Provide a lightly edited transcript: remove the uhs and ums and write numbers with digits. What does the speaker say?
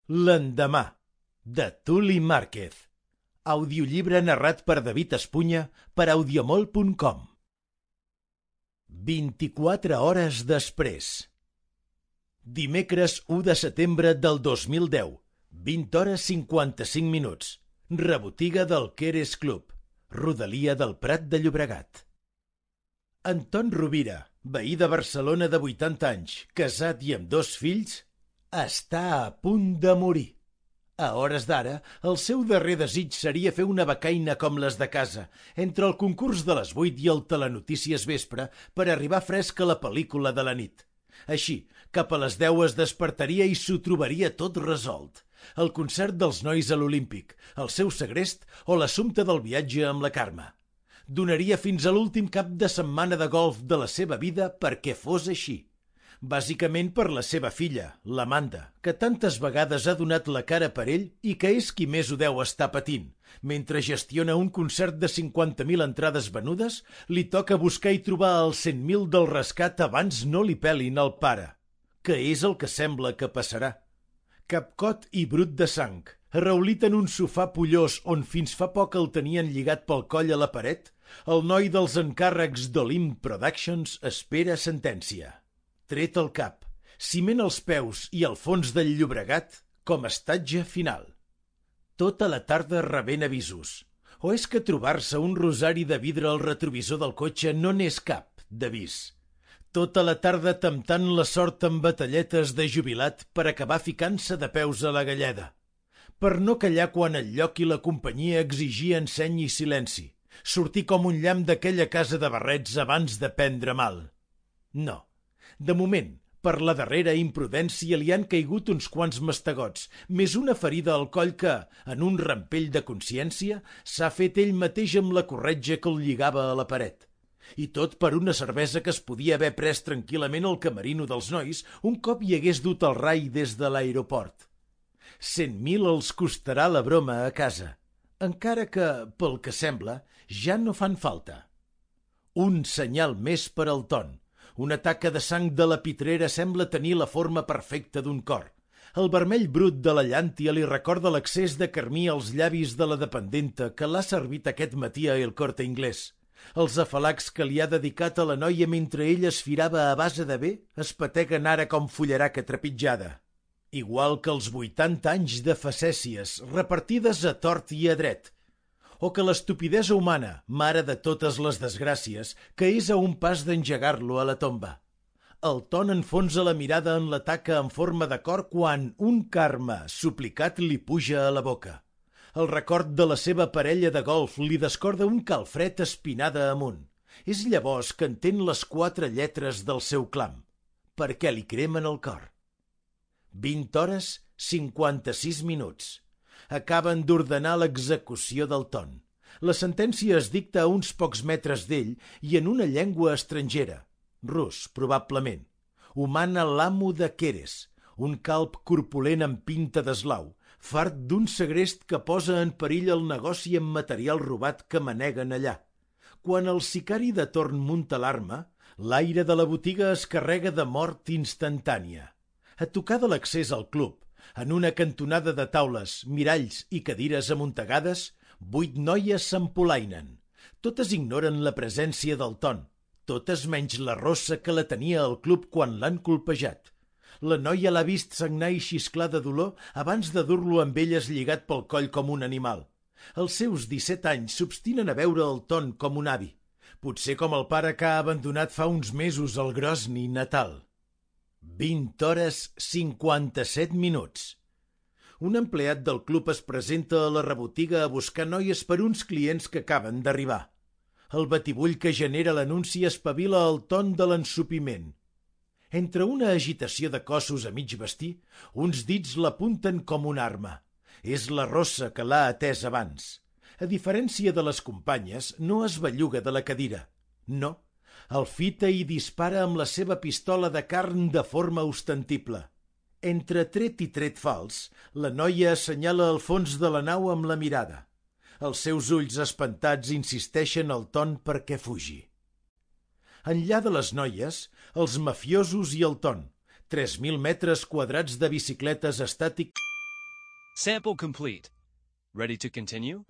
L'endemà, de Tuli Márquez. Audiollibre narrat per David Espunya per audiomol.com. 24 hores després. Dimecres 1 de setembre del 2010, 20 hores 55 minuts. Rebotiga del Keres Club, rodalia del Prat de Llobregat. Anton Rovira, veí de Barcelona de 80 anys, casat i amb 2 fills, està a punt de morir. A hores d'ara, el seu darrer desig seria fer una becaina com les de casa, entre el concurs de les 8 i el Telenotícies vespre, per arribar fresc a la pel·lícula de la nit. Així, cap a les 10 es despertaria i s'ho trobaria tot resolt. El concert dels nois a l'Olímpic, el seu segrest o l'assumpte del viatge amb la Carme. Donaria fins a l'últim cap de setmana de golf de la seva vida perquè fos així. Bàsicament per la seva filla, l'Amanda, que tantes vegades ha donat la cara per ell i que és qui més ho deu estar patint. Mentre gestiona un concert de 50.000 entrades venudes, li toca buscar i trobar els 100.000 del rescat abans no li pelin el pare. Que és el que sembla que passarà. Capcot i brut de sang, arraulit en un sofà pollós on fins fa poc el tenien lligat pel coll a la paret, el noi dels encàrrecs d'Olimp Productions espera sentència. Tret al cap, ciment als peus i al fons del Llobregat com a estatge final. Tota la tarda rebent avisos. O és que trobar-se un rosari de vidre al retrovisor del cotxe no n'és cap d'avís. Tota la tarda temptant la sort amb batalletes de jubilat per acabar ficant-se de peus a la galleda. Per no callar quan el lloc i la companyia exigien seny i silenci. Sortir com un llamp d'aquella casa de barrets abans de prendre mal. No. De moment, per la darrera imprudència li han caigut uns quants mastegots, més una ferida al coll que, en un rampell de consciència, s'ha fet ell mateix amb la corretja que el lligava a la paret. I tot per una cervesa que es podia haver pres tranquil·lament al camerino dels nois un cop hi hagués dut el rai des de l'aeroport. 100.000 els costarà la broma a casa, encara que, pel que sembla, ja no fan falta. Un senyal més per al Ton. Una taca de sang de la pitrera sembla tenir la forma perfecta d'un cor. El vermell brut de la llàntia li recorda l'accés de carmí als llavis de la dependenta que l'ha servit aquest matí a El Corte Inglés. Els afalacs que li ha dedicat a la noia mentre ella es firava a base de bé es pateguen ara com fullaraca trepitjada. Igual que els 80 anys de facècies repartides a tort i a dret. O que l'estupidesa humana, mare de totes les desgràcies, que és a un pas d'engegar-lo a la tomba. El Ton enfonsa la mirada en la taca en forma de cor quan un Carme suplicat li puja a la boca. El record de la seva parella de golf li descorda un calfred espinada amunt. És llavors que entén les 4 lletres del seu clam, perquè li cremen el cor. 20 hores 56 minuts. Acaben d'ordenar l'execució del Ton. La sentència es dicta a uns pocs metres d'ell i en una llengua estrangera, rus, probablement. Ho mana l'amo de Keres, un calb corpulent amb pinta d'eslau, fart d'un segrest que posa en perill el negoci amb material robat que maneguen allà. Quan el sicari de torn munta l'arma, l'aire de la botiga es carrega de mort instantània. A tocar de l'accés al club, en una cantonada de taules, miralls i cadires amuntegades, 8 noies s'empolainen. Totes ignoren la presència del Ton, totes menys la rossa que la tenia al club quan l'han colpejat. La noia l'ha vist sagnar i xisclar de dolor abans de dur-lo amb elles lligat pel coll com un animal. Els seus 17 anys s'obstinen a veure el Ton com un avi, potser com el pare que ha abandonat fa uns mesos el Grosny natal. 20 hores 57 minuts. Un empleat del club es presenta a la rebotiga a buscar noies per uns clients que acaben d'arribar. El batibull que genera l'anunci espavila el Ton de l'ensopiment. Entre una agitació de cossos a mig vestir, uns dits l'apunten com una arma. És la rossa que l'ha atès abans. A diferència de les companyes, no es belluga de la cadira. No. El fita i dispara amb la seva pistola de carn de forma ostensible. Entre tret i tret fals, la noia assenyala el fons de la nau amb la mirada. Els seus ulls espantats insisteixen al Ton perquè fugi. Enllà de les noies, els mafiosos i el Ton, 3.000 metres quadrats de bicicletes estàtiques Sample complete. Ready to continue?